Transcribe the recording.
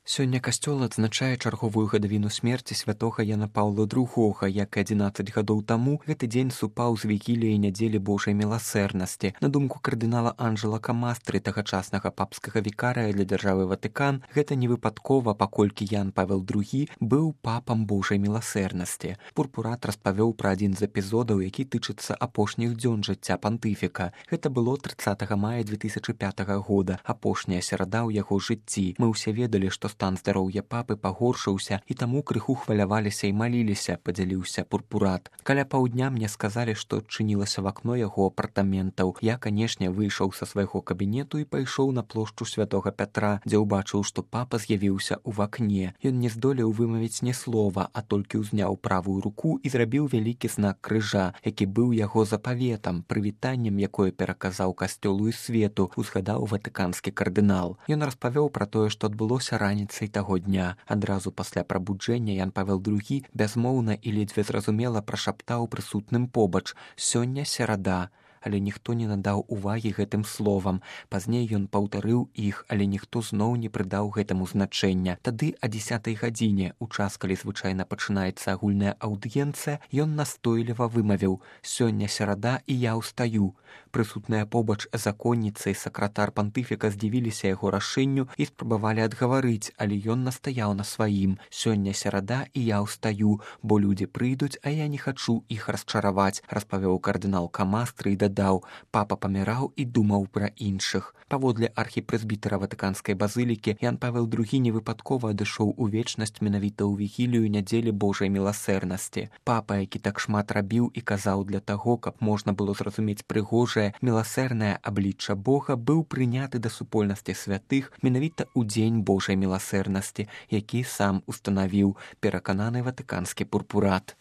Сёння касцёл адзначае чарговую гадавіну смерці святога Яна Паўла II, як і 11 гадоў таму гэты дзень супаў з вігіліяй нядзелі Божай міласэрнасці. На думку кардынала Анджела Камастры, тагачаснага папскага вікарыя для дзяржавы Ватыкан, гэта не выпадкова, паколькі Ян Павел II быў папам Божай міласэрнасці. Пурпурат распавёў пра адзін з эпізодаў, які тычыцца апошніх дзён жыцця пантыфіка. Гэта было 30 мая 2005 года, апошняя серада ў яго жыцці. Мы ўсе ведалі, што стан здароўя папы пагоршыўся, і таму крыху хваляваліся і маліліся, падзяліўся Пурпурат. Каля паўдня мне сказалі, што адчынілася в акно яго апартаментаў. Я, канешне, выйшаў са свайго кабінету і пайшоў на плошчу святога Пятра, дзе ўбачыў, што папа з'явіўся ў вакне. Ён не здолеў вымавіць ні слова, а толькі ўзняў правую руку і зрабіў вялікі знак крыжа, які быў яго запаветам, прывітаннем, якое пераказаў касцёлу і свету, узгадаў ватыканскі кардынал. Ён распавёў пра тое, што адбылося раніцай таго дня. Адразу пасля прабуджэння Ян Павел II бязмоўна і ледзьве зразумела прашаптаў прысутным побач: «Сёння серада». Але ніхто не надаў увагі гэтым словам. Пазней ён паўтарыў іх, але ніхто зноў не прыдаў гэтаму значэння. Тады о 10 гадзіне, у час, калі звычайна пачынаецца агульная аўдыенцыя, ён настойліва вымавіў: «Сёння серада, і я ўстаю». Прысутныя побач законніца і сакратар пантыфіка здзівіліся яго рашэнню і спрабавалі адгаварыць, але ён настаяў на сваім: «Сёння серада, і я ўстаю, бо людзі прыйдуць, а я не хачу іх расчараваць», распавёў кардынал Камастры і дадаў: «Папа паміраў і думаў пра іншых». Паводле архіпрэзбітара Ватыканскай базылікі, Ян Павел II невыпадкова адышоў у вечнасць менавіта ў вігілію нядзелі Божай міласэрнасці. Папа, які так шмат рабіў і казаў для таго, каб можна было зразумець прыгожае, міласэрнае аблічча Бога, быў прыняты да супольнасці святых менавіта ў дзень Божай міласэрнасці, які сам устанавіў, перакананы ватыканскі Пурпурат.